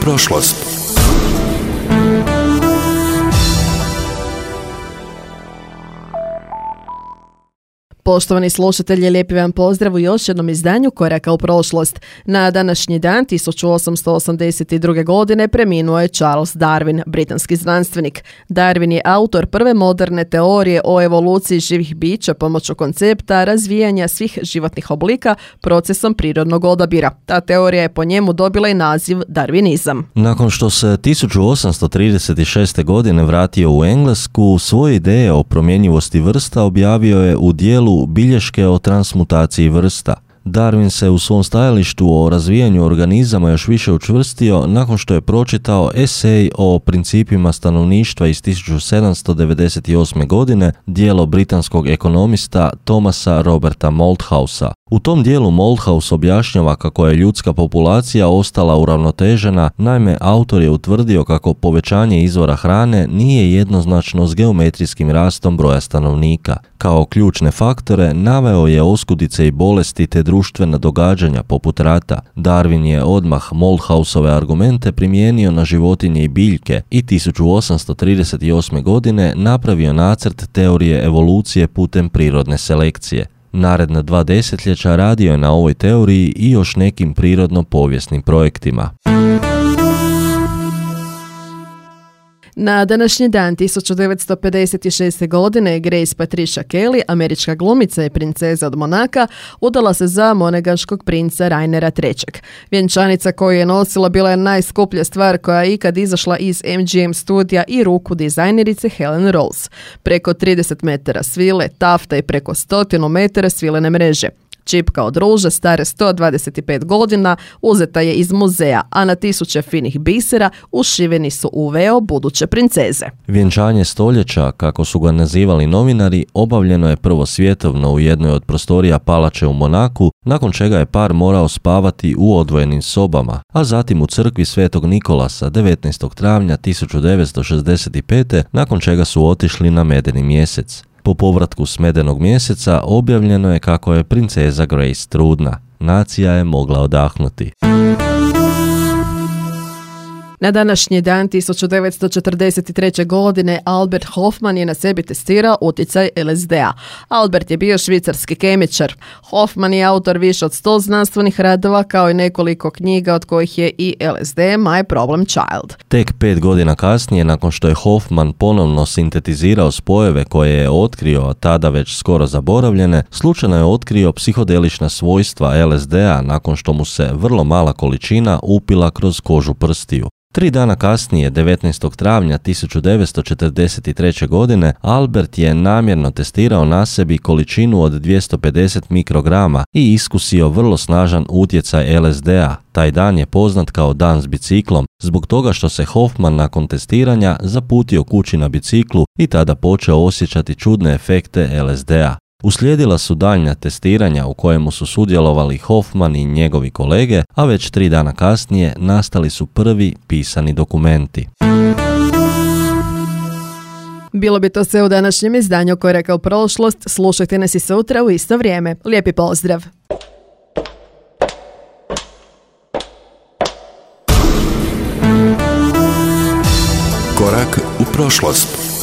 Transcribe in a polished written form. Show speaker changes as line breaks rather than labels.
prošlost.
Poštovani slušatelji, lijepi vam pozdrav u još jednom izdanju Koraka u prošlost. Na današnji dan 1882. godine preminuo je Charles Darwin, britanski znanstvenik. Darwin je autor prve moderne teorije o evoluciji živih bića pomoću koncepta razvijanja svih životnih oblika procesom prirodnog odabira. Ta teorija je po njemu dobila i naziv darvinizam.
Nakon što se 1836. godine vratio u Englesku, svoje ideje o promjenjivosti vrsta objavio je u dijelu Bilješke o transmutaciji vrsta. Darwin se u svom stajalištu o razvijanju organizama još više učvrstio nakon što je pročitao esej o principima stanovništva iz 1798. godine, djelo britanskog ekonomista Thomasa Roberta Malthousa. U tom dijelu Malthus objašnjava kako je ljudska populacija ostala uravnotežena, naime autor je utvrdio kako povećanje izvora hrane nije jednoznačno s geometrijskim rastom broja stanovnika. Kao ključne faktore naveo je oskudice i bolesti te društvena događanja poput rata. Darwin je odmah Malthusove argumente primijenio na životinje i biljke i 1838. godine napravio nacrt teorije evolucije putem prirodne selekcije. Naredna 2 desetljeća radio je na ovoj teoriji i još nekim prirodno-povijesnim projektima.
Na današnji dan 1956. godine Grace Patricia Kelly, američka glumica i princeza od Monaka, udala se za monegaškog princa Rainera III. Vjenčanica koju je nosila bila je najskuplja stvar koja je ikad izašla iz MGM studija i ruku dizajnerice Helen Rose. Preko 30 metara svile, tafta i preko 100 metara svilene mreže. Čipka od ruže stare 125 godina uzeta je iz muzeja, a na tisuće finih bisera ušiveni su u veo buduće princeze.
Vjenčanje stoljeća, kako su ga nazivali novinari, obavljeno je prvo svjetovno u jednoj od prostorija palače u Monaku, nakon čega je par morao spavati u odvojenim sobama, a zatim u crkvi Svetog Nikolasa 19. travnja 1965. nakon čega su otišli na medeni mjesec. Po povratku s medenog mjeseca objavljeno je kako je princeza Grace trudna. Nacija je mogla odahnuti.
Na današnji dan 1943. godine Albert Hofmann je na sebi testirao utjecaj LSD-a. Albert je bio švicarski kemičar. Hofmann je autor više od 100 znanstvenih radova kao i nekoliko knjiga od kojih je i LSD My Problem Child.
Tek 5 godina kasnije, nakon što je Hofmann ponovno sintetizirao spojeve koje je otkrio, a tada već skoro zaboravljene, slučajno je otkrio psihodelična svojstva LSD-a nakon što mu se vrlo mala količina upila kroz kožu prstiju. 3 dana kasnije, 19. travnja 1943. godine, Albert je namjerno testirao na sebi količinu od 250 mikrograma i iskusio vrlo snažan utjecaj LSD-a. Taj dan je poznat kao dan s biciklom, zbog toga što se Hofmann nakon testiranja zaputio kući na biciklu i tada počeo osjećati čudne efekte LSD-a. Uslijedila su daljnja testiranja u kojemu su sudjelovali Hofmann i njegovi kolege, a već 3 dana kasnije nastali su prvi pisani dokumenti.
Bilo bi to sve u današnjem izdanju Koraka u prošlost. Slušajte nas i sutra u isto vrijeme. Lijepi pozdrav!
Korak u prošlost.